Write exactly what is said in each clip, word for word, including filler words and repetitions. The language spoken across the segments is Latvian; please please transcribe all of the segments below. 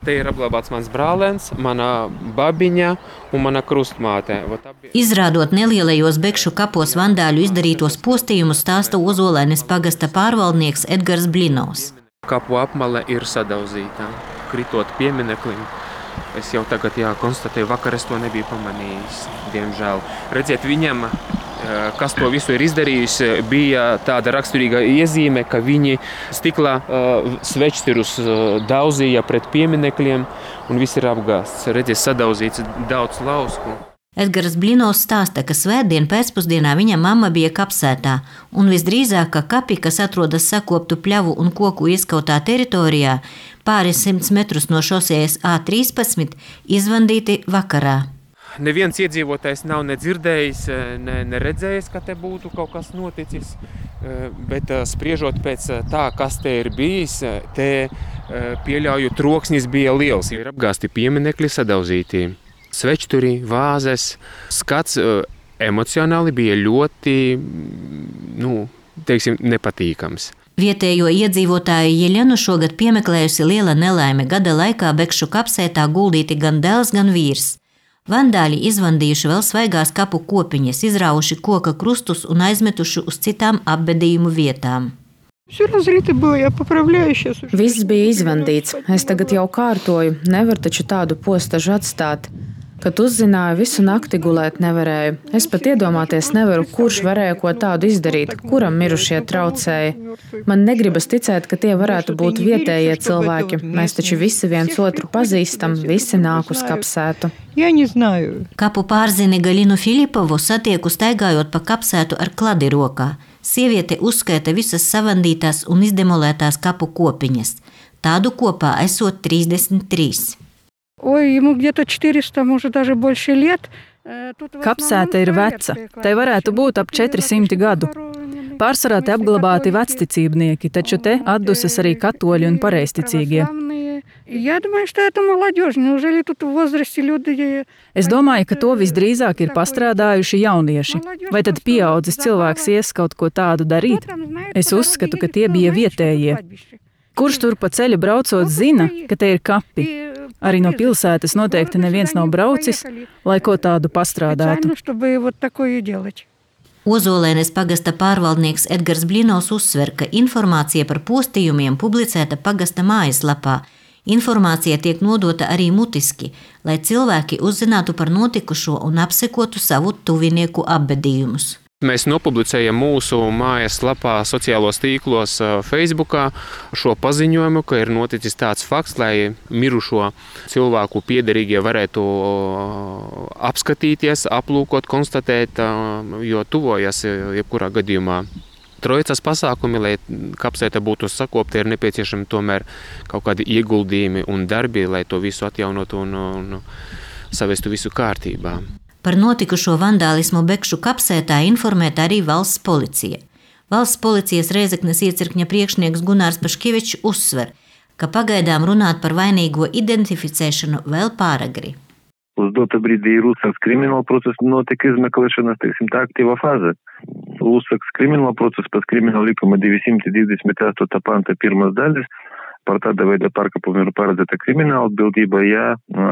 Te ir apglabāts mans brālēns, mana babiņa un mana krustmāte. Izrādot nelielajos Bekšu kapos vandāļu izdarītos postījumus, stāsta Ozolaines pagasta pārvaldnieks Edgars Blinovs. Kapu apmale ir sadauzīta, kritot piemineklim. Es jau tagad jā, konstatēju, vakar es to nebiju pamanījis, diemžēl. Redziet, viņam, kas to visu ir izdarījis, bija tāda raksturīga iezīme, ka viņi stiklā svečstirus daudzīja pret pieminekļiem un viss ir apgāsts. Redziet, sadauzīts daudz lausku. Edgars Blinovs stāsta, ka svētdien pēcpusdienā viņa mamma bija Kapsētā, un visdrīzāk, ka kapi, kas atrodas sakoptu pļavu un koku ieskautā teritorijā, pāris simts metrus no šosejas A trīspadsmit, izvandīti vakarā. Neviens iedzīvotājs nav nedzirdējis, ne, neredzējis, ka te būtu kaut kas noticis, bet spriežot pēc tā, kas te ir bijis, te pieļauju troksnis bija liels. Ir apgāsti pieminekļi, sadauzīti svečturi, vāzes. Skats emocionāli bija ļoti, nu, teiksim, nepatīkams. Vietējo iedzīvotāju Jeļenu šogad piemeklējusi liela nelaime. Gada laikā Bekšu kapsētā guldīti gan dēls, gan vīrs. Vandāļi izvandījuši vēl svaigās kapu kopiņas, izrauši koka krustus un aizmetuši uz citām apbedījumu vietām. Viss bija izvandīts. Es tagad jau kārtoju. Nevar taču tādu postažu atstāt. Kad uzzināju, visu nakti gulēt nevarēju. Es pat iedomāties nevaru, kurš varēja ko tādu izdarīt, kuram mirušie traucēja. Man negribas ticēt, ka tie varētu būt vietējie cilvēki. Mēs taču visi viens otru pazīstam, visi nāk uz Kapsētu. Kapu pārzini Galinu Filipovu satieku staigājot pa Kapsētu ar kladi rokā. Sieviete uzskaita visas savandītās un izdemolētās kapu kopiņas. Tādu kopā esot trīsdesmit trīs. Kapsēta ir veca. Tai varētu būt ap četri simti gadu. Pārsvarā te apglabāti vecticībnieki, taču te atdusas arī katoļi un pareizticīgie. Es domāju, ka to visdrīzāk ir pastrādājuši jaunieši. Vai tad pieaudzis cilvēks ies kaut ko tādu darīt? Es uzskatu, ka tie bija vietējie. Kurš tur pa ceļu braucot zina, ka te ir kapi? Arī no pilsētas noteikti neviens nav braucis, lai ko tādu pastrādātu. Ozolaines pagasta pārvaldnieks Edgars Blinovs uzsver, ka informācija par postījumiem publicēta pagasta mājaslapā. Informācija tiek nodota arī mutiski, lai cilvēki uzzinātu par notikušo un apsekotu savu tuvinieku apbedījumus. Mēs nopublicējam mūsu mājaslapā, sociālos tīklos, Facebookā šo paziņojumu, ka ir noticis tāds fakts, lai mirušo cilvēku piederīgie varētu apskatīties, aplūkot, konstatēt, jo tuvojas jebkurā gadījumā. Trojicas pasākumi, lai Kapsēta būtu sakopta, ir nepieciešami tomēr kaut kādi ieguldījumi un darbi, lai to visu atjaunotu un, un savestu visu kārtībā. Par notikušo vandālismu Bekšu Kapsētā informēta arī valsts policija. Valsts policijas Rēzeknes iecirkņa priekšnieks Gunārs Paškevičs uzsver, ka pagaidām runāt par vainīgo identificēšanu vēl pāragri. Uz dotu brīdi Lusaks krimināla procesa notiek izmeklēšanas, teiksim, tā aktīva fāze. Lusaks krimināla procesa pēc krimināla likuma divsimt divdesmit astoņā panta pirmās daļas par tāda veida pārkāpumu ir paredzēta krimināla atbildība, ja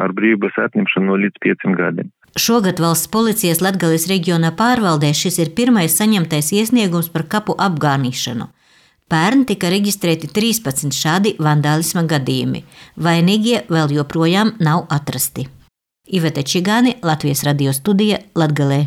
ar brīvības atņemšanu līdz pieciem gadiem. Šogad valsts policijas Latgales reģiona pārvaldē šis ir pirmais saņemtais iesniegums par kapu apgānīšanu. Pērn tika reģistrēti trīspadsmit šādi vandālisma gadījumi. Vainīgie vēl joprojām nav atrasti. Ivete Čigāni, Latvijas radio studija, Latgalē.